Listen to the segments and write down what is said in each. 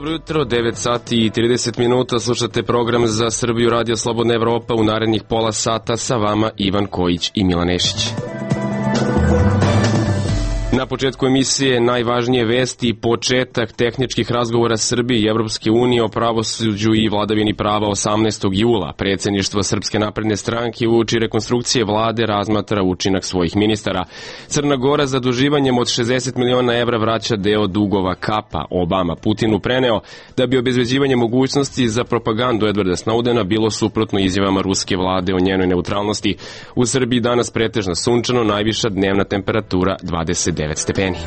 Dobro jutro, 9 sati i 30 minuta, slušate program za Srbiju Radio Slobodna Evropa. U narednih pola sata sa vama Ivan Kojić i Milan Nešić. Na početku emisije najvažnije vesti i početak tehničkih razgovora Srbije i Evropske unije o pravosuđu i vladavini prava 18. jula. Predsjedništvo Srpske napredne stranke uoči rekonstrukcije vlade razmatra učinak svojih ministara. Crna Gora zaduživanjem od 60 miliona evra vraća deo dugova Kapa. Obama Putinu preneo da bi obezbeđivanje mogućnosti za propagandu Edwarda Snowdena bilo suprotno izjavama ruske vlade o njenoj neutralnosti. U Srbiji danas pretežno sunčano, najviša dnevna temperatura 29 stepeni.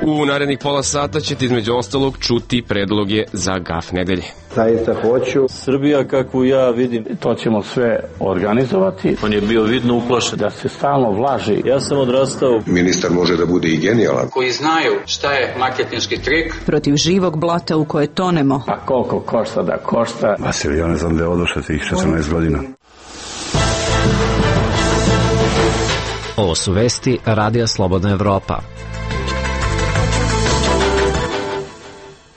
U narednih pola sata ćete između ostalog čuti predloge za GAF nedelje. Zaista hoću. Srbija kakvu ja vidim, to ćemo sve organizovati. On je bio vidno uplašen. Da se stalno vlaži. Ja sam odrastao. Ministar može da bude i genijalan. Koji znaju šta je marketinški trik. Protiv živog blata u koje tonemo. A koliko košta da košta. Vasilij, ja ne znam da je oduše tih 14 godina. Ovo su vesti Radija Slobodna Evropa.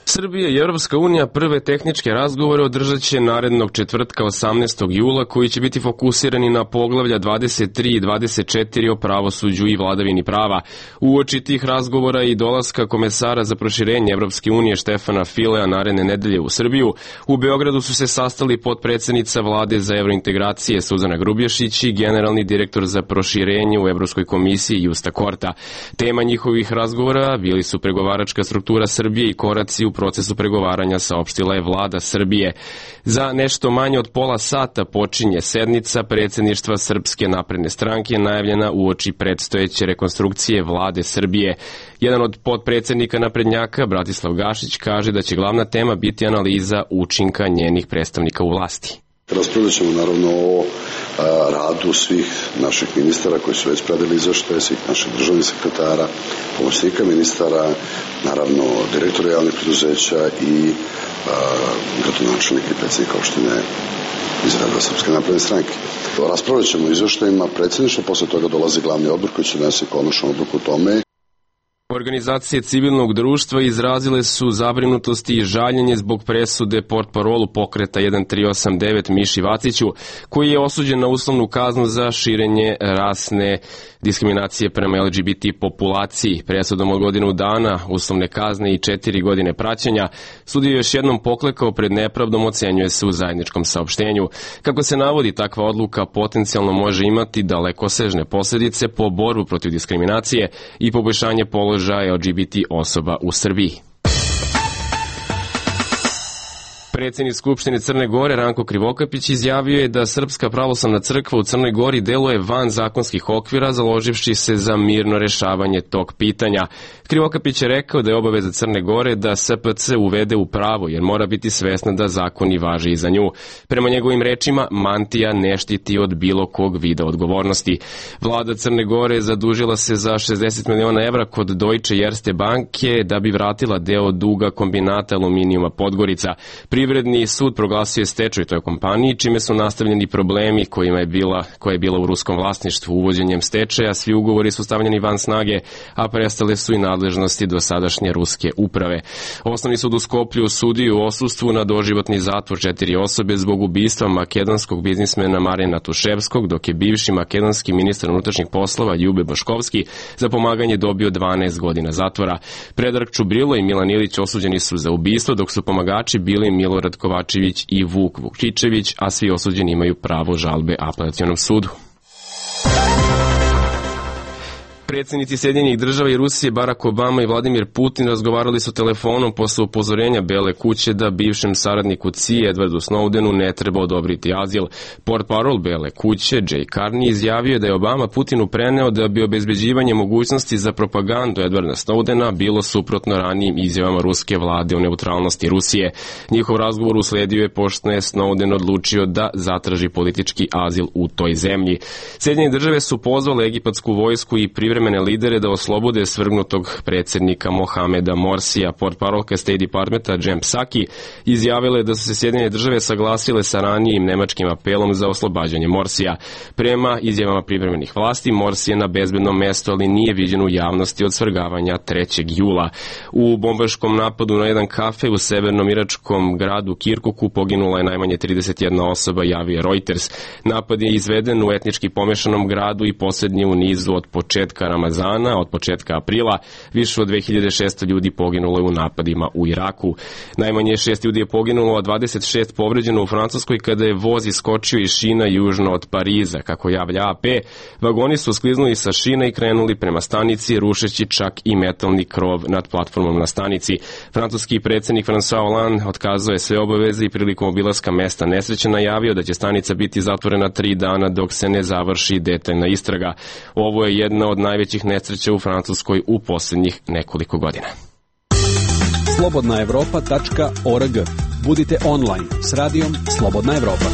Srbija i Evropska unija prve tehničke razgovore održat će narednog četvrtka 18. jula koji će biti fokusirani na poglavlja 23 i 24 o pravosuđu i vladavini prava. Uoči tih razgovora i dolaska komesara za proširenje Evropske unije Štefana Filea naredne nedelje u Srbiju, u Beogradu su se sastali potpredsednica vlade za evrointegracije Suzana Grubješić i generalni direktor za proširenje u Evropskoj komisiji Justa Korta. Tema njihovih razgovora bili su pregovaračka struktura Srbije i koraci u procesu pregovaranja, saopštila je vlada Srbije. Za nešto manje od pola sata počinje sednica predsjedništva Srpske napredne stranke najavljena uoči predstojeće rekonstrukcije vlade Srbije. Jedan od potpredsjednika naprednjaka, Bratislav Gašić, kaže da će glavna tema biti analiza učinka njenih predstavnika u vlasti. Raspravljat ćemo naravno o radu svih naših ministara koji su već predali izveštaje, svih naših državnih sekretara, pomoćnika ministara, naravno direktora javnih preduzeća i gradonačelnika i predsjednika opštine iz reda Srpske napredne stranke. Raspravljat ćemo o izveštajima predsjedništva, posle toga dolazi glavni odbor koji će donesti konačnu odluku o tome. Organizacije civilnog društva izrazile su zabrinutosti i žaljenje zbog presude portparolu pokreta 1389 Miši Vaciću, koji je osuđen na uslovnu kaznu za širenje rasne diskriminacije prema LGBT populaciji. Presudom od godinu dana, uslovne kazne i 4 godine praćenja, sudija je još jednom poklekao pred nepravdom, ocenjuje se u zajedničkom saopštenju. Kako se navodi, takva odluka potencijalno može imati dalekosežne posljedice po borbu protiv diskriminacije i poboljšanje položaja LGBT osoba u Srbiji. Predsjednik Skupštine Crne Gore Ranko Krivokapić izjavio je da Srpska pravoslavna crkva u Crnoj Gori deluje van zakonskih okvira, založivši se za mirno rešavanje tog pitanja. Krivokapić je rekao da je obaveza Crne Gore da SPC uvede u pravo, jer mora biti svesna da zakoni važe i za nju. Prema njegovim rečima, mantija ne štiti od bilo kog vida odgovornosti. Vlada Crne Gore zadužila se za 60 miliona evra kod Deutsche Erste banke da bi vratila deo duga kombinata aluminijuma Podgorica. Privredni sud proglasio je stečaj toj kompaniji, čime su nastavljeni problemi koja je bila u ruskom vlasništvu. Uvođenjem stečaja svi ugovori su stavljeni van snage, a prestale su i nadležnosti dosadašnje ruske uprave. Osnovni sud u Skoplju osudio u odsustvu na doživotni zatvor 4 osobe zbog ubistva makedonskog biznismena Marina Tuševskog, dok je bivši makedonski ministar unutrašnjih poslova Ljube Boškovski za pomaganje dobio 12 godina zatvora. Predrag Čubrilo i Milan Ilić osuđeni su za ubistvo, dok su pomagači bili Milorad Kovačević i Vuk Vukčićević, a svi osuđeni imaju pravo žalbe apelacionom sudu. Predsjednici Sjedinjenih Država i Rusije Barack Obama i Vladimir Putin razgovarali su telefonom posle upozorenja Bele kuće da bivšem saradniku CIA Edwardu Snowdenu ne treba odobriti azil. Portparol Bele kuće Jay Carney izjavio da je Obama Putinu preneo da bi obezbeđivanje mogućnosti za propagandu Edwarda Snowdena bilo suprotno ranijim izjavama ruske vlade o neutralnosti Rusije. Njihov razgovor usledio je pošto je Snowden odlučio da zatraži politički azil u toj zemlji. Sjedinjene Države su pozvale egipatsku vojsku i privremenu privremene lidere da oslobode svrgnutog predsjednika Mohameda Morsija. Portparolka State Departmenta Jen Psaki izjavila je da su se Sjedinjene države saglasile sa ranijim nemačkim apelom za oslobađanje Morsija. Prema izjavama privremenih vlasti, Morsi je na bezbednom mestu, ali nije viđen u javnosti od svrgavanja 3. jula. U bombaškom napadu na jedan kafe u severnom iračkom gradu Kirkuku poginula je najmanje 31 osoba, javio Reuters. Napad je izveden u etnički pomešanom gradu i posljednji u nizu od početka Ramazana, od početka aprila. Više od 2600 ljudi poginulo je u napadima u Iraku. Najmanje 6 ljudi je poginulo, a 26 povređeno u Francuskoj kada je voz iskočio iz šina južno od Pariza. Kako javlja AP, vagoni su skliznuli sa šina i krenuli prema stanici, rušeći čak i metalni krov nad platformom na stanici. Francuski predsjednik François Hollande otkazao je sve obaveze i prilikom obilaska mesta nesreće najavio da će stanica biti zatvorena 3 dana dok se ne završi detaljna istraga. Ovo je jedna od najvećih nesreća u Francuskoj u posljednjih nekoliko godina. slobodnaevropa.org. Budite online s radijom Slobodna Evropa.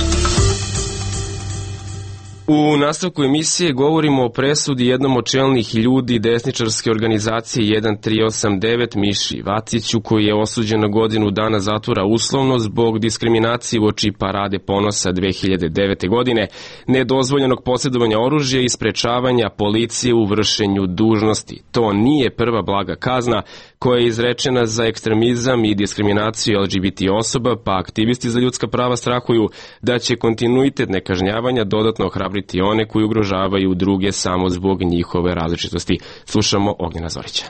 U nastavku emisije govorimo o presudi jednom od čelnih ljudi desničarske organizacije 1389 Miši Vaciću, koji je osuđen na godinu dana zatvora uslovno zbog diskriminacije uoči Parade ponosa 2009. godine, nedozvoljenog posjedovanja oružja i sprečavanja policije u vršenju dužnosti. To nije prva blaga kazna koja je izrečena za ekstremizam i diskriminaciju LGBT osoba, pa aktivisti za ljudska prava strahuju da će kontinuitet nekažnjavanja dodatno ohrabriti one koji ugrožavaju druge samo zbog njihove različitosti. Slušamo Ognjena Zorića.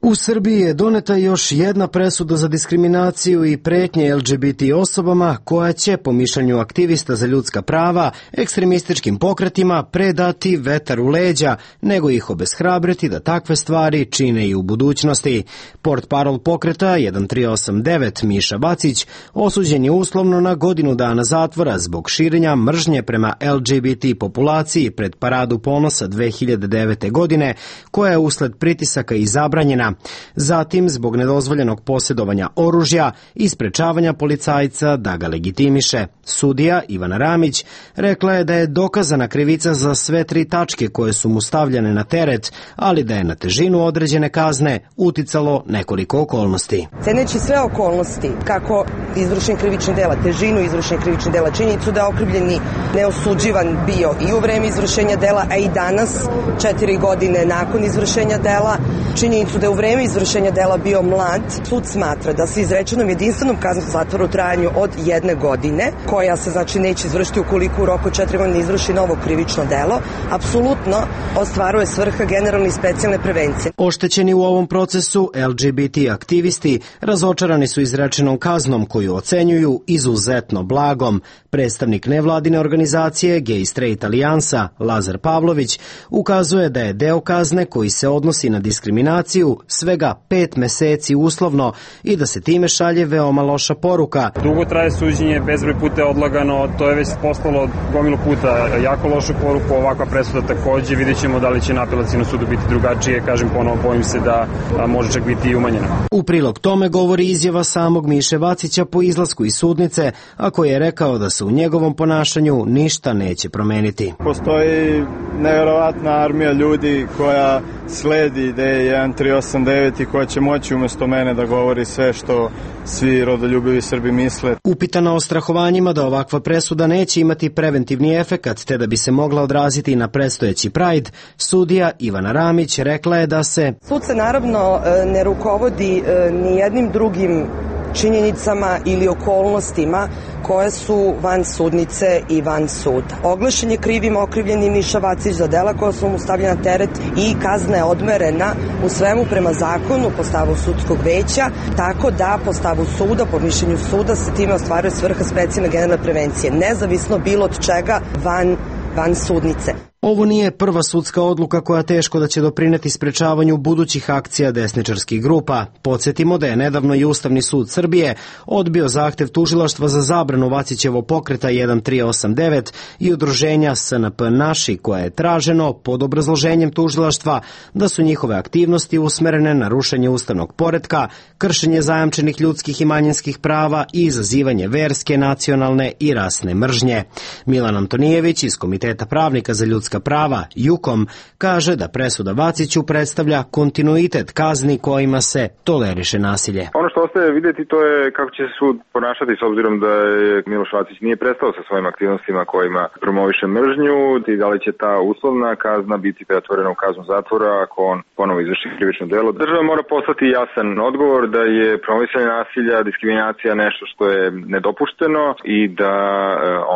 U Srbiji je doneta još jedna presuda za diskriminaciju i pretnje LGBT osobama koja će, po mišljenju aktivista za ljudska prava, ekstremističkim pokretima predati vetar u leđa, nego ih obeshrabriti da takve stvari čine i u budućnosti. Portparol pokreta 1389 Miša Vacić osuđen je uslovno na godinu dana zatvora zbog širenja mržnje prema LGBT populaciji pred Paradu ponosa 2009. godine, koja je usled pritisaka i zabranjena. Zatim, zbog nedozvoljenog posjedovanja oružja i sprečavanja policajca da ga legitimiše. Sudija Ivana Ramić rekla je da je dokazana krivica za sve 3 tačke koje su mu stavljene na teret, ali da je na težinu određene kazne uticalo nekoliko okolnosti. Ceneći sve okolnosti, kako izvršenje krivičnih dela, težinu izvršenja krivičnih dela, činjenicu da je okrivljeni neosuđivan bio i u vreme izvršenja dela, a i danas, 4 godine nakon izvršenja dela, činjenicu da je u vreme izvršenja dela bio mlad, sud smatra da se izrečenom jedinstvenom kaznom zatvora u trajanju od 1 godine, koja se znači neće izvršiti ukoliko u roku 4 godine izvrši novo krivično delo, apsolutno ostvaruje svrha generalne i specijalne prevencije. Oštećeni u ovom procesu LGBT aktivisti razočarani su izrečenom kaznom koju ocenjuju izuzetno blagom. Predstavnik nevladine organizacije Gay Straight Alijansa Lazar Pavlović ukazuje da je deo kazne koji se odnosi na diskriminaciju svega 5 meseci uslovno i da se time šalje veoma loša poruka. Dugo traje suđenje, bezbroj puta je odlagano, to je već poslalo gomilu puta jako lošu poruku, ovakva presuda takođe, vidjet ćemo da li će na apelacijnom sudu biti drugačije, kažem ponovo, bojim se da može čak biti i umanjena. U prilog tome govori izjava samog Miše Vacića po izlasku iz sudnice, a koji je rekao da se u njegovom ponašanju ništa neće promeniti. Postoji nevjerovatna armija ljudi koja sledi ideje 1389 i koja će moći umesto mene da govori sve što svi rodoljubivi Srbi misle. Upitana o strahovanjima da ovakva presuda neće imati preventivni efekat te da bi se mogla odraziti na predstojeći Pride, sudija Ivana Ramić rekla je da se sud se naravno ne rukovodi ni jednim drugim činjenicama ili okolnostima koje su van sudnice i van suda. Oglašen je krivim okrivljeni Miša Vacić za dela koja su mu stavljena na teret i kazna je odmerena u svemu prema zakonu po stavu sudskog veća, tako da po stavu suda, po mišljenju suda se time ostvaruje svrha specijalne generalne prevencije, nezavisno bilo od čega van sudnice. Ovo nije prva sudska odluka koja teško da će doprineti sprečavanju budućih akcija desničarskih grupa. Podsjetimo da je nedavno i Ustavni sud Srbije odbio zahtev tužilaštva za zabranu Vacićevo pokreta 1389 i udruženja SNP Naši, koje je traženo pod obrazloženjem tužilaštva da su njihove aktivnosti usmerene na rušenje ustavnog poretka, kršenje zajamčenih ljudskih i manjinskih prava i izazivanje verske, nacionalne i rasne mržnje. Milan Antonijević iz Komiteta pravnika za ljudska ljudska prava, JUKOM, kaže da presuda Vaciću predstavlja kontinuitet kazni kojima se toleriše nasilje. Ono što ostaje vidjeti to je kako će se sud ponašati s obzirom da je Miloš Vacić nije prestao sa svojim aktivnostima kojima promoviše mržnju i da li će ta uslovna kazna biti pretvorena u kaznu zatvora ako on ponovo izvrši krivično delo. Država mora poslati jasan odgovor da je promovisanje nasilja, diskriminacija nešto što je nedopušteno i da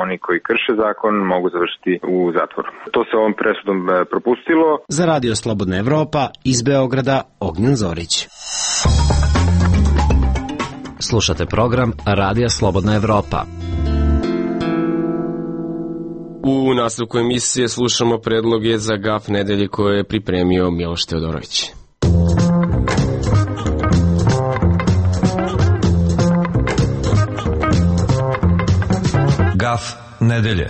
oni koji krše zakon mogu završiti u zatvoru. To se ovom presudom propustilo. Za Radio Slobodna Evropa iz Beograda Ognjen Zorić. Slušate program Radija Slobodna Evropa. U nastavku emisije slušamo predloge za gaf nedelje koje je pripremio Miloš Teodorović. Gaf nedelje.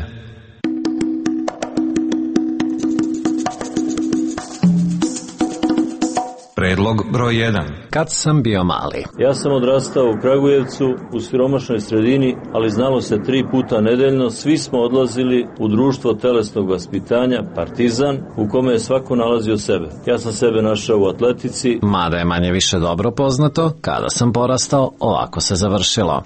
Predlog broj 1. Kad sam bio mali. Ja sam odrastao u Kragujevcu, u siromašnoj sredini, ali znalo se 3 puta nedeljno, svi smo odlazili u društvo telesnog vaspitanja, Partizan, u kome je svako nalazio sebe. Ja sam sebe našao u atletici. Mada je manje više dobro poznato, kada sam porastao, ovako se završilo.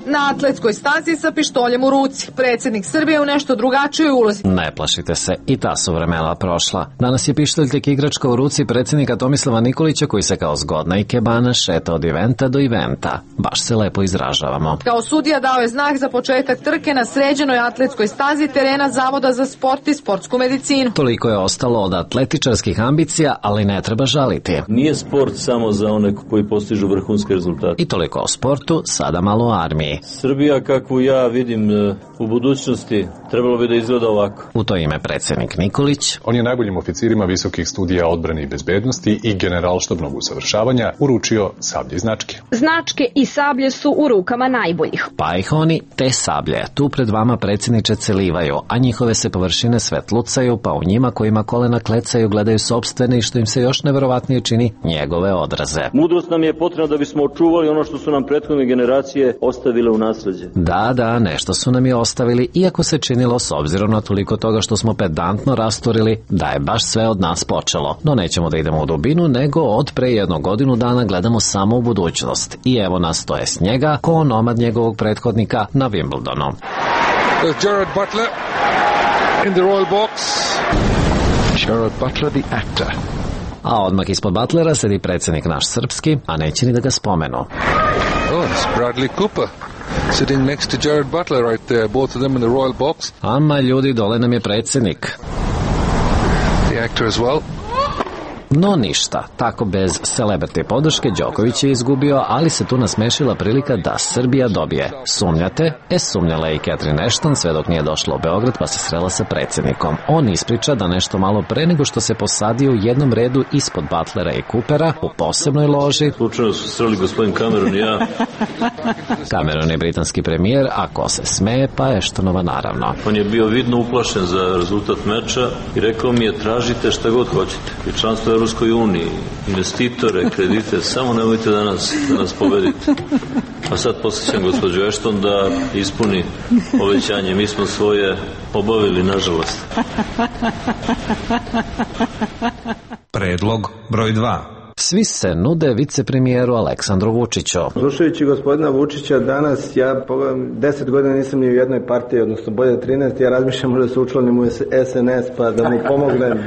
Na atletskoj stazi sa pištoljem u ruci. Predsjednik Srbije u nešto drugačijoj ulozi. Ne plašite se, i ta su vremena prošla. Danas je pištolj tek igračka u ruci predsjednika Tomislava Nikolića koji se kao zgodna ikebana šeta od eventa do eventa. Baš se lepo izražavamo. Kao sudija dao je znak za početak trke na sređenoj atletskoj stazi terena Zavoda za sport i sportsku medicinu. Toliko je ostalo od atletičarskih ambicija, ali ne treba žaliti. Nije sport samo za one koji postižu vrhunske rezultate. I toliko o sportu, sada malo o armiji. Srbija kakvu ja vidim u budućnosti trebalo bi da izgleda ovako. U to ime predsjednik Nikolić. On je najboljim oficirima visokih studija odbrane i bezbednosti i generalštabnog usavršavanja uručio sablje i značke. Značke i sablje su u rukama najboljih. Pa ih oni te sablje tu pred vama predsjedniče celivaju, a njihove se površine svetlucaju, pa u njima kojima kolena klecaju gledaju sopstvene i što im se još neverovatnije čini njegove odraze. Mudrost nam je potrebna da bismo očuvali ono što su nam prethodne generacije ostavile u nasleđe. Da, nešto su nam je ostavili, iako se činilo s obzirom na toliko toga što smo pedantno rasturili da je baš sve od nas počelo. No nećemo da idemo u dubinu, nego od pre 1 godinu dana gledamo samo u budućnost. I evo nas, to je s njega, ko onomad njegovog prethodnika na Wimbledonu. Gerard Butler in the royal box. Gerard Butler, the actor. A odmah ispod Butlera sedi predsjednik naš srpski, a neće ni da ga spomenu. Oh, it's Bradley Cooper. Sitting next to Gerard Butler right there, both of them in the royal box. Ama ljudi, dole nam je predsjednik. The actor as well. No ništa, tako bez celebrity podrške Đoković je izgubio, ali se tu nasmešila prilika da Srbija dobije. Sumnjate? Sumnjala je i Catherine Ashton sve dok nije došla u Beograd pa se srela sa predsjednikom. On ispriča da nešto malo pre nego što se posadio u jednom redu ispod Butlera i Coopera u posebnoj loži. Slučajno su sreli gospodin Cameron i ja. Cameron je britanski premijer, a ko se smeje pa Ashtonova naravno. On je bio vidno uplašen za rezultat meča i rekao mi je tražite šta god hoćete. I članstvo u Ruskoj uniji, investitore, kredite, samo nemojte da nas pobedite. A sad posjećam gospođu Ashton da ispuni obećanje. Mi smo svoje obavili, nažalost. Predlog broj 2. Svi se nude vicepremijeru Aleksandru Vučiću. Slušajući gospodina Vučića danas, ja 10 godina nisam ni u jednoj partiji, odnosno bolje 13, ja razmišljam možda se učlanim u SNS pa da mu pomognem.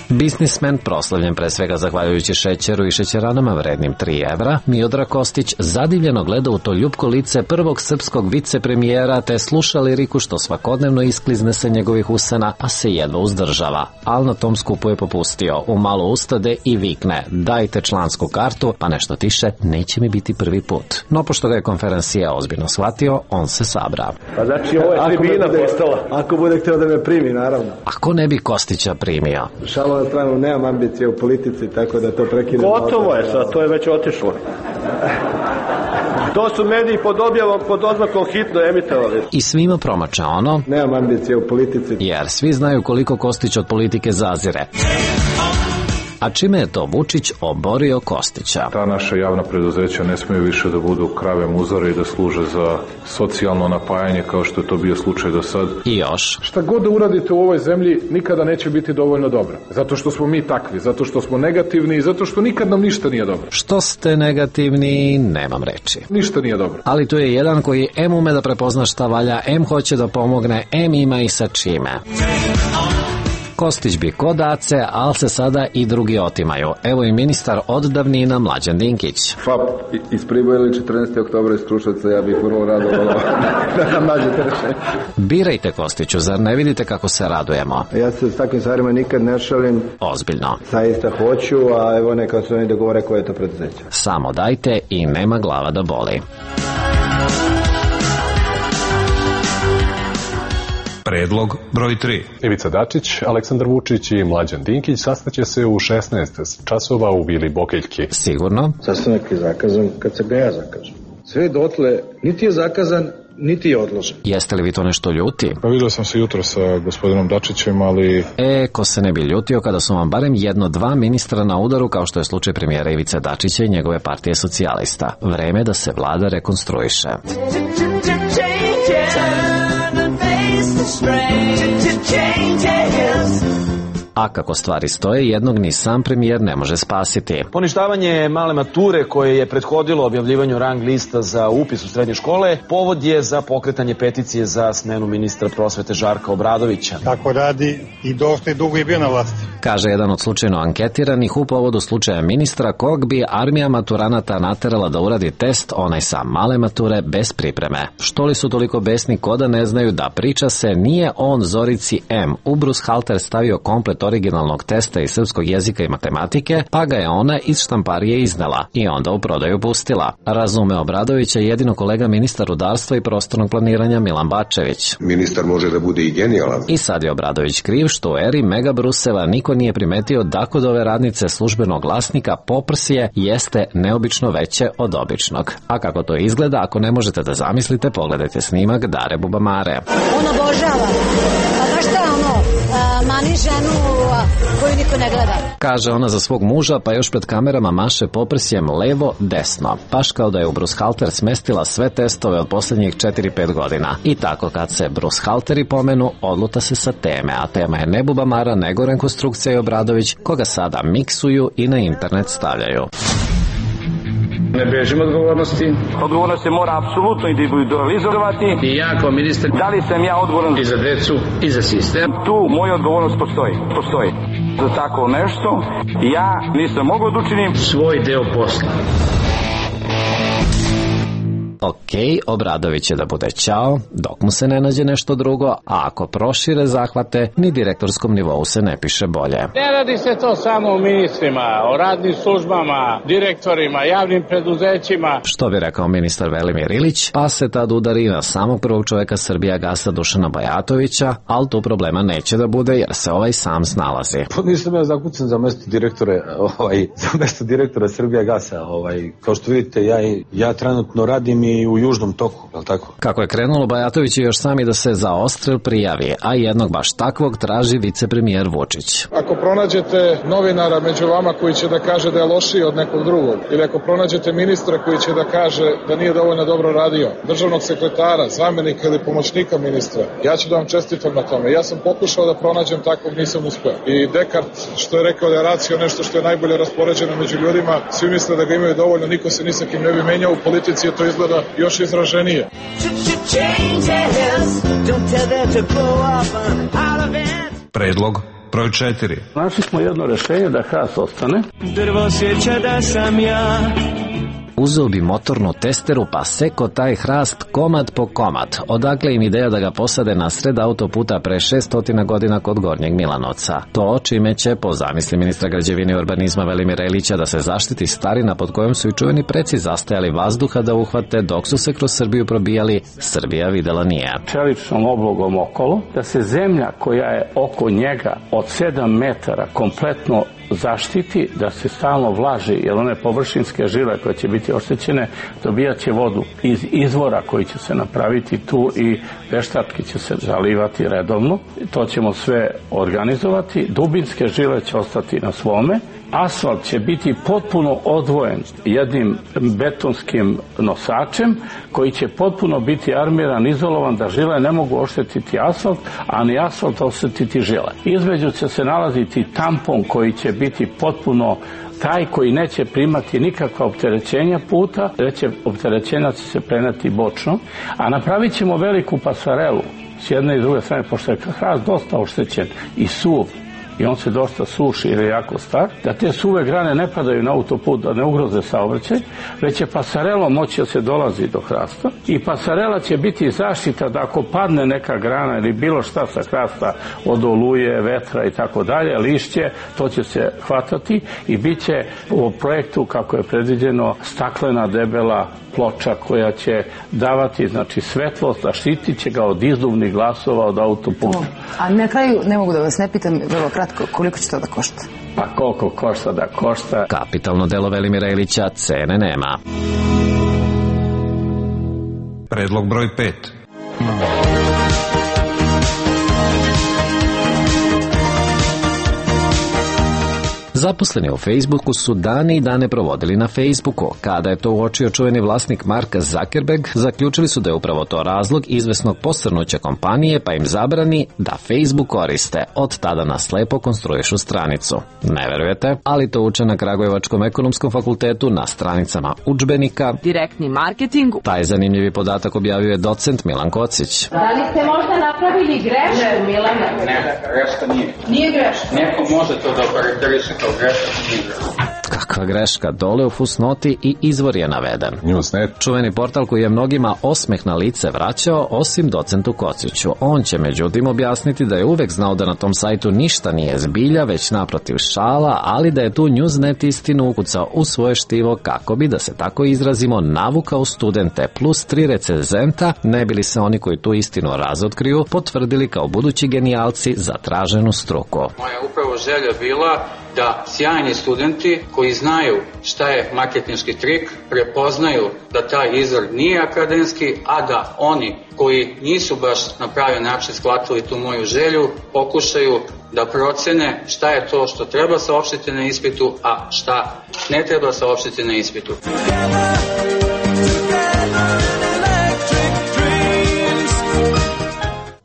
Biznismen, proslavljen pre svega zahvaljujući šećeru i šećeranama vrednim 3 evra, Miodrag Kostić zadivljeno gleda u to ljupko lice prvog srpskog vicepremijera te sluša liriku što svakodnevno isklizne sa njegovih usana, a se jedva uzdržava. Al na tom skupu je popustio, umalo ustade i vikne: dajte člansku kartu, pa nešto tiše, neće mi biti prvi put. No pošto ga je konferencija ozbiljno shvatio, on se sabra. Pa znači ovo je tribina postala. Ako bude htio da me primi, naravno. Ako ne bi Kostića primio? Šalo na stranu, nemam ambicije u politici, tako da to prekidam. Gotovo je sad, to je već otišlo. To su mediji pod objavom, pod oznakom hitno emitovali. I svima promača ono: nemam ambicije u politici. Jer svi znaju koliko Kostić od politike zazire. A čime je to Vučić oborio Kostića? Ta naša javna preduzeća ne smiju više da budu krave muzare i da služe za socijalno napajanje kao što je to bio slučaj do sad. I još. Šta god da uradite u ovoj zemlji nikada neće biti dovoljno dobro. Zato što smo mi takvi, zato što smo negativni i zato što nikad nam ništa nije dobro. Što ste negativni, nemam reči. Ništa nije dobro. Ali tu je jedan koji em ume da prepozna šta valja, em hoće da pomogne, em ima i sa čime. Kostić bi kod Ace, ali se sada i drugi otimaju. Evo i ministar od davnina Mlađan Dinkić. FAP iz Priboja ili 14. oktobra iz Kruševca, ja bih vrlo rado da nam nađete rešenje. Birajte, Kostiću, zar ne vidite kako se radujemo? Ja se s takvim stvarima nikad ne šalim. Ozbiljno. Zaista hoću, a evo neka se oni dogovore koje je to preduzeće. Samo dajte i nema glava da boli. Predlog broj 3. Ivica Dačić, Aleksandar Vučić i Mlađan Dinkić sastaće se u 16 časova u Vili Bokeljki. Sigurno? Sastanak je zakazan kad se ga ja zakažem. Sve dotle niti je zakazan, niti je odložen. Jeste li vi to nešto ljuti? Pa vidio sam se jutro sa gospodinom Dačićem, ali... Ko se ne bi ljutio kada su vam barem 1-2 ministra na udaru, kao što je slučaj premijera Ivice Dačića i njegove partije socijalista. Vreme da se vlada rekonstruiše. A kako stvari stoje, jednog ni sam premijer ne može spasiti. Poništavanje male mature koje je prethodilo objavljivanju rang lista za upis u srednje škole povod je za pokretanje peticije za smenu ministra prosvete Žarka Obradovića. Tako radi i dosta dugo je bio na vlasti. Kaže jedan od slučajno anketiranih u povodu slučaja ministra kog bi armija maturanata naterala da uradi test, onaj sa male mature, bez pripreme. Što li su toliko besni ko da ne znaju da priča se nije on Zorici M. u brushalter stavio komplet originalnog testa iz srpskog jezika i matematike, pa ga je ona iz štamparije iznela i onda u prodaju pustila. Razume Obradovića jedino kolega ministar rudarstva i prostornog planiranja Milan Bačević. Ministar može da bude i genijalan. I sad je Obradović kriv što u eri Mega Bruseva niko nije primetio da kod ove radnice službenog glasnika poprsje jeste neobično veće od običnog. A kako to izgleda, ako ne možete da zamislite, pogledajte snimak Dare Bubamare. On obožava. Pa znaš šta mani ženu koju niko ne gleda. Kaže ona za svog muža, pa još pred kamerama maše poprsjem levo, desno. Baš kao da je u brushalter smestila sve testove od posljednjih 4-5 godina. I tako kad se brushalteri pomenu, odluta se sa teme, a tema je ne Bubamara, nego rekonstrukcija i Obradović, koga sada miksuju i na internet stavljaju. Ne bežim odgovornosti. Odgovornost se mora apsolutno individualizovati. I ja kao ministar, da li sam ja odgovoran i za decu i za sistem? Tu moja odgovornost postoji. Za tako nešto ja nisam mogao da učinim svoj deo posla. Ok, Obradović će da bude ćao, dok mu se ne nađe nešto drugo, a ako prošire zahvate, ni direktorskom nivou se ne piše bolje. Ne radi se to samo o ministrima, o radnim službama, direktorima, javnim preduzećima. Što bi rekao ministar Velimir Ilić, pa se tad udari na samog prvog čoveka Srbijagasa Dušana Bajatovića, ali tu problema neće da bude jer se ovaj sam snalazi. Nisam ja zakucan za mesto direktora Srbijagasa. Kao što vidite, ja trenutno radim i u južnom toku, je li tako? Kako je krenulo, Bajatović je još sami da se za odstrel prijavi, a jednog baš takvog traži vicepremijer Vučić. Ako pronađete novinara među vama koji će da kaže da je lošiji od nekog drugog, ili ako pronađete ministra koji će da kaže da nije dovoljno dobro radio, državnog sekretara, zamenika ili pomoćnika ministra, ja ću da vam čestitam na tome. Ja sam pokušao da pronađem takvog, nisam uspeo. I Dekart, što je rekao da je racio nešto što je najbolje raspoređeno među ljudima, svi misle da ga imaju dovoljno, niko se ni sa kim ne bi menjao, u politici je to izgleda još izraženije. Predlog broj 4. Našli smo jedno rešenje da hrast ostane. Drvo sjeća da sam ja. Uzeo bi motornu testeru pa seko taj hrast komad po komad. Odakle im ideja da ga posade na sred autoputa pre 600 godina kod Gornjeg Milanovca. To čime će, po zamisli ministra građevine i urbanizma Velimira Ilića, da se zaštiti starina pod kojom su i čuveni preci zastajali vazduha da uhvate dok su se kroz Srbiju probijali, Srbija videla nije. Čeličnom oblogom okolo, da se zemlja koja je oko njega od 7 metara kompletno zaštiti, da se stalno vlaži, jer one površinske žile koje će biti oštećene dobijat će vodu iz izvora koji će se napraviti tu i veštački će se zalivati redovno. To ćemo sve organizovati. Dubinske žile će ostati na svome Asfalt će biti potpuno odvojen jednim betonskim nosačem koji će potpuno biti armiran, izolovan, da žile ne mogu oštetiti asfalt, a ni asfalt oštetiti žile. Između će se nalaziti tampon koji će biti potpuno taj koji neće primati nikakva opterećenja puta, veće opterećenja će se preneti bočno, a napravit ćemo veliku pasarelu s jedne i druge strane, pošto je hrast dosta oštećen i suv, i on se dosta suši jer je jako star, da te suve grane ne padaju na autoput, da ne ugroze saobraćaj, već će pasarelom moći da se dolazi do hrasta i pasarela će biti zaštita da ako padne neka grana ili bilo šta sa hrasta od oluje, vetra i tako dalje, lišće, to će se hvatati i bit će u projektu kako je predviđeno staklena debela ploča koja će davati znači svetlost, a štitit će ga od izduvnih glasova od autoputa. A na kraju ne mogu da vas ne pitam vrlo kratko koliko će to da košta? Pa koliko košta da košta? Kapitalno delo Velimira Ilića, cene nema. Predlog broj 5. Zaposleni u Facebooku su dane i dane provodili na Facebooku. Kada je to uočio čuveni vlasnik Mark Zuckerberg, zaključili su da je upravo to razlog izvesnog posrnuća kompanije, pa im zabrani da Facebook koriste. Od tada na slepo konstruišu stranicu. Ne verujete, ali to uče na Kragujevačkom ekonomskom fakultetu na stranicama udžbenika. Direktni marketing. Taj zanimljivi podatak objavio je docent Milan Kocić. Da li ste možda napravili grešku, Milana? Ne, greška nije. Nije greška? Neko može to da okarakteriše kao greška, nije greška. Kakva greška, dole u fusnoti i izvor je naveden. Newsnet. Čuveni portal koji je mnogima osmeh na lice vraćao, osim docentu Kociću. On će međutim objasniti da je uvek znao da na tom sajtu ništa nije zbilja, već naprotiv šala, ali da je tu Newsnet istinu ukucao u svoje štivo kako bi, da se tako izrazimo, navukao studente plus 3 recenzenta, ne bili se oni koji tu istinu razotkriju potvrdili kao budući genijalci za traženu struku. Moja upravo želja bila da sjajni studenti koji znaju šta je marketinški trik prepoznaju da taj izvor nije akademski, a da oni koji nisu baš na pravi način shvatili tu moju želju pokušaju da procene šta je to što treba saopštiti na ispitu, a šta ne treba saopštiti na ispitu.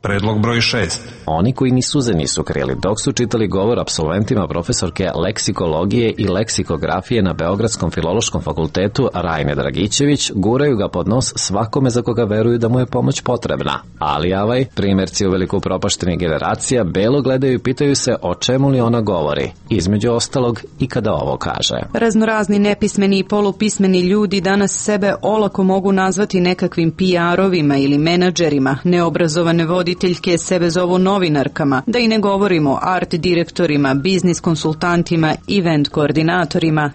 Predlog broj 6. Oni koji ni suze nisu krili dok su čitali govor apsolventima profesorke leksikologije i leksikografije na Beogradskom filološkom fakultetu Rajne Dragićević, guraju ga pod nos svakome za koga veruju da mu je pomoć potrebna. Ali avaj, primjerci u veliko upropaštenih generacija belo gledaju i pitaju se o čemu li ona govori, između ostalog i kada ovo kaže. Raznorazni nepismeni i polupismeni ljudi danas sebe olako mogu nazvati nekakvim PR-ovima ili menadžerima, neobrazovane voditeljke sebe zovu novinarkama, da i ne govorimo o art direktorima, biznis konsultantima, event koordinatorima.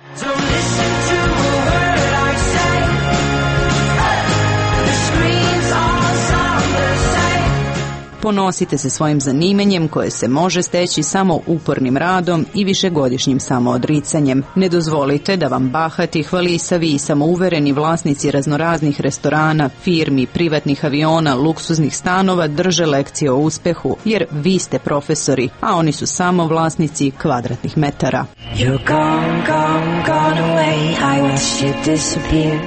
Ponosite se svojim zanimanjem koje se može steći samo upornim radom i višegodišnjim samoodricanjem. Ne dozvolite da vam bahati, hvalisavi i samouvereni vlasnici raznoraznih restorana, firmi, privatnih aviona, luksuznih stanova drže lekcije o uspehu, jer vi ste profesori, a oni su samo vlasnici kvadratnih metara. You're gone, gone, gone away, I wish you'd disappear.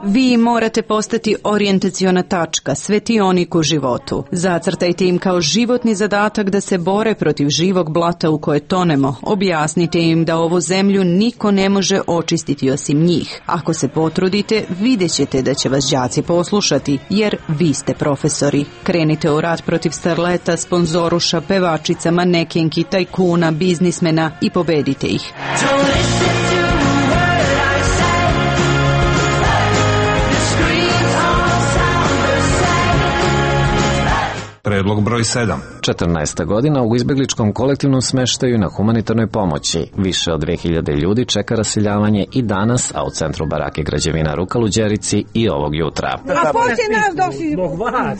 Vi morate postati orijentaciona tačka, svetionik u životu. Zacrtajte im kao životni zadatak da se bore protiv živog blata u koje tonemo. Objasnite im da ovu zemlju niko ne može očistiti osim njih. Ako se potrudite, vidjet ćete da će vas đaci poslušati, jer vi ste profesori. Krenite u rat protiv starleta, sponzoruša, pevačica, manekenki, tajkuna, biznismena i pobedite ih. Predlog broj 7. 14. godina u izbegličkom kolektivnom smeštaju na humanitarnoj pomoći. Više od 2000 ljudi čeka raseljavanje i danas, a u centru barake građevina Rukal u Đerici i ovog jutra. A poslije nas dok si...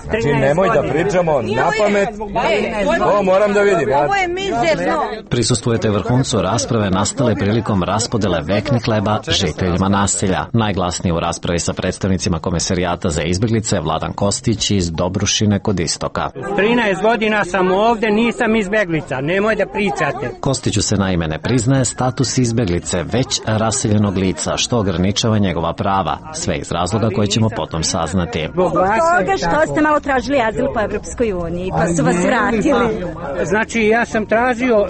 Znači nemoj da pričamo na pamet. Ovo moram da vidim. Ovo je mizerno. Prisustvujete vrhuncu rasprave nastale prilikom raspodele veknih hleba žiteljima naselja. Najglasniji u raspravi sa predstavnicima Komesarijata za izbeglice Vladan Kostić iz Dobrušine kod Istoka. 13 godina sam sam ovde, nisam izbeglica, nemoj da pričate. Kostiću se naime ne priznaje status izbeglice, već raseljenog lica, što ograničava njegova prava, sve iz razloga koje ćemo potom saznati. Zbog toga što ste malo tražili azil po Evropskoj uniji, pa su vas vratili. Znači, ja sam tražio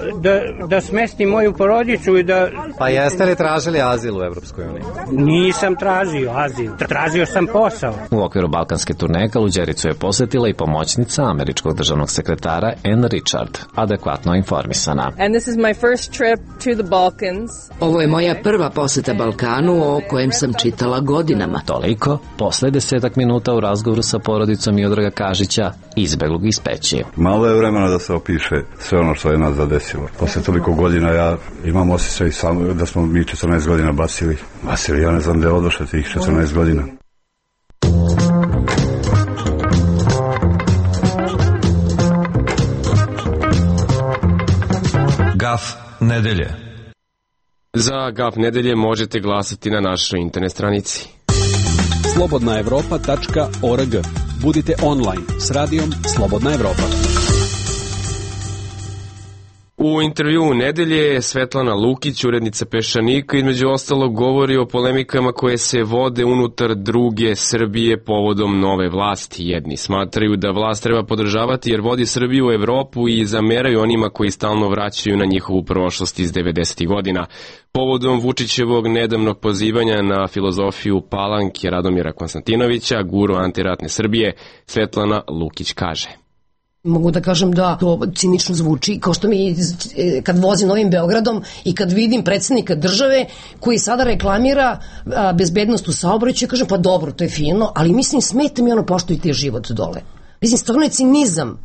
da smestim moju porodicu i da... Pa jeste li tražili azil u Evropskoj uniji? Nisam tražio azil, tražio sam posao. U okviru balkanske turneje Kaluđericu je posjetila i pomoćnica američkog državnog sekretara Ann Richard, adekvatno informisana. And this is my first trip to the Balkans. Ovo je moja prva poseta Balkanu o kojem sam čitala godinama. Toliko, posle 10 minuta u razgovoru sa porodicom Miodraga Kažića, izbeglog iz Peći. Malo je vremena da se opiše sve ono što je nas zadesilo. Posle toliko godina ja imam osjećaj da smo mi 14 godina basili. Ja ne znam gde je odošlo tih 14 godina. Gaf nedelje. Za Gaf nedelje možete glasati na našoj internet stranici. slobodnaevropa.org. Budite online s radijom Slobodna Evropa. U intervjuu nedelje Svetlana Lukić, urednica Peščanika, između ostalog govori o polemikama koje se vode unutar druge Srbije povodom nove vlasti. Jedni smatraju da vlast treba podržavati jer vodi Srbiju u Evropu i zameraju onima koji stalno vraćaju na njihovu prošlost iz 90. godina. Povodom Vučićevog nedavnog pozivanja na filozofiju Palanke Radomira Konstantinovića, guru antiratne Srbije, Svetlana Lukić kaže: Mogu da kažem da to cinično zvuči, kao što mi kad vozim Novim Beogradom i kad vidim predsjednika države koji sada reklamira bezbednost u saobraćaju, kažem pa dobro, to je fino, ali mislim smeta mi ono poštujte život dole. Mislim, stvarno je cinizam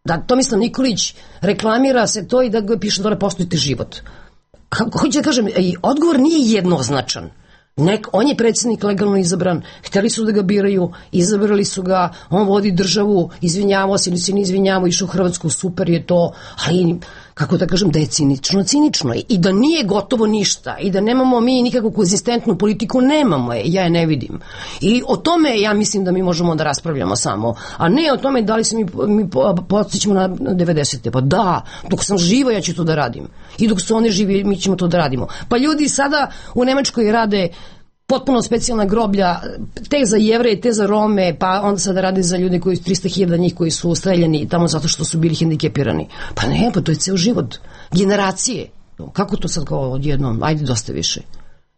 da Tomislav Nikolić reklamira se to i da ga piše dole poštujte život. Hoću da kažem, odgovor nije jednoznačan. On je predsjednik legalno izabran, hteli su da ga biraju, izabrali su ga, on vodi državu, izvinjavao se ili se ne izvinjavao, išao u Hrvatsku, super je to, ali kako da kažem da je cinično i da nije gotovo ništa i da nemamo mi nikakvu konzistentnu politiku, nemamo je, ja je ne vidim. I o tome ja mislim da mi možemo da raspravljamo samo, a ne o tome da li se mi podsjećamo na 90. Pa da, dok sam živa ja ću to da radim i dok su oni živi mi ćemo to da radimo. Pa ljudi sada u Nemačkoj rade potpuno specijalna groblja, te za Jevreje, te za Rome, pa onda sada rade za ljude koji 300.000 njih koji su streljani tamo zato što su bili hendikepirani. Pa ne, pa to je ceo život. Generacije. Kako to sad kao odjednom? Ajde, dosta više.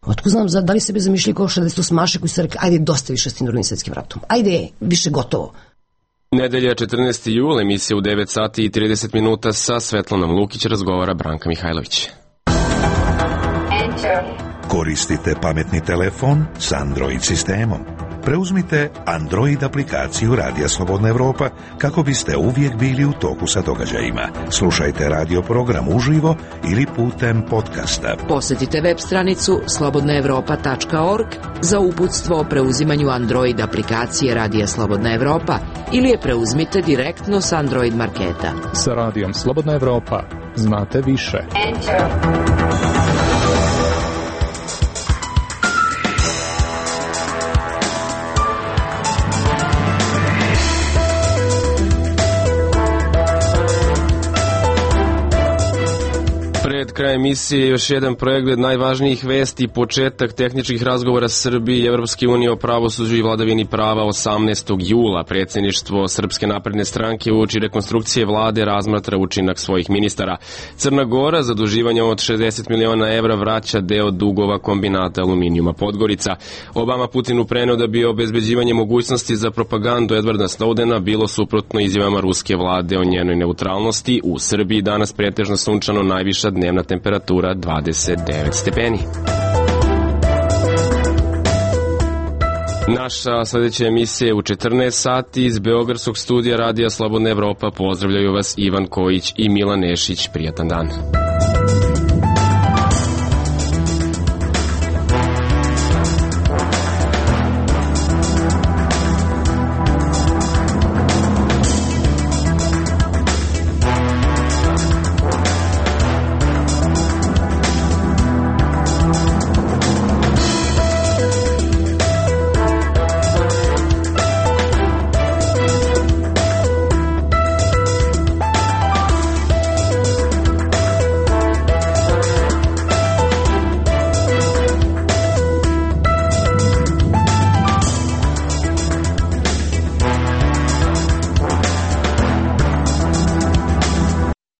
Otko znam, da li sebe zamišljali kao 68 koji su rekli, ajde, dosta više s tim Drugim svetskim ratom. Ajde, više gotovo. Nedelja 14. jula, emisija u 9 sati i 30 minuta sa Svetlanom Lukić, razgovara Branka Mihajlović. Koristite pametni telefon s Android sistemom. Preuzmite Android aplikaciju Radija Slobodna Evropa kako biste uvijek bili u toku sa događajima. Slušajte radio program uživo ili putem podcasta. Posjetite web stranicu slobodnaevropa.org za uputstvo o preuzimanju Android aplikacije Radija Slobodna Evropa ili je preuzmite direktno s Android marketa. Sa Radijom Slobodna Evropa znate više. Pred krajem emisije još jedan pregled najvažnijih vesti i početak tehničkih razgovora Srbije i Evropske unije o pravosuđu i vladavini prava 18. jula. Predsjedništvo Srpske napredne stranke uoči rekonstrukcije vlade razmatra učinak svojih ministara. Crna Gora zaduživanje od 60 miliona evra vraća deo dugova kombinata aluminijuma Podgorica. Obama Putinu preneo da bi obezbeđivanje mogućnosti za propagandu Edwarda Snowdena bilo suprotno izjavama ruske vlade o njenoj neutralnosti. U Srbiji danas pretežno sunčano, najviša dnevna temperatura 29 stepeni. Naša sljedeća emisija je u 14 sati iz Beogradskog studija Radija Slobodna Evropa. Pozdravljaju vas Ivan Kojić i Milan Nešić. Prijatan dan.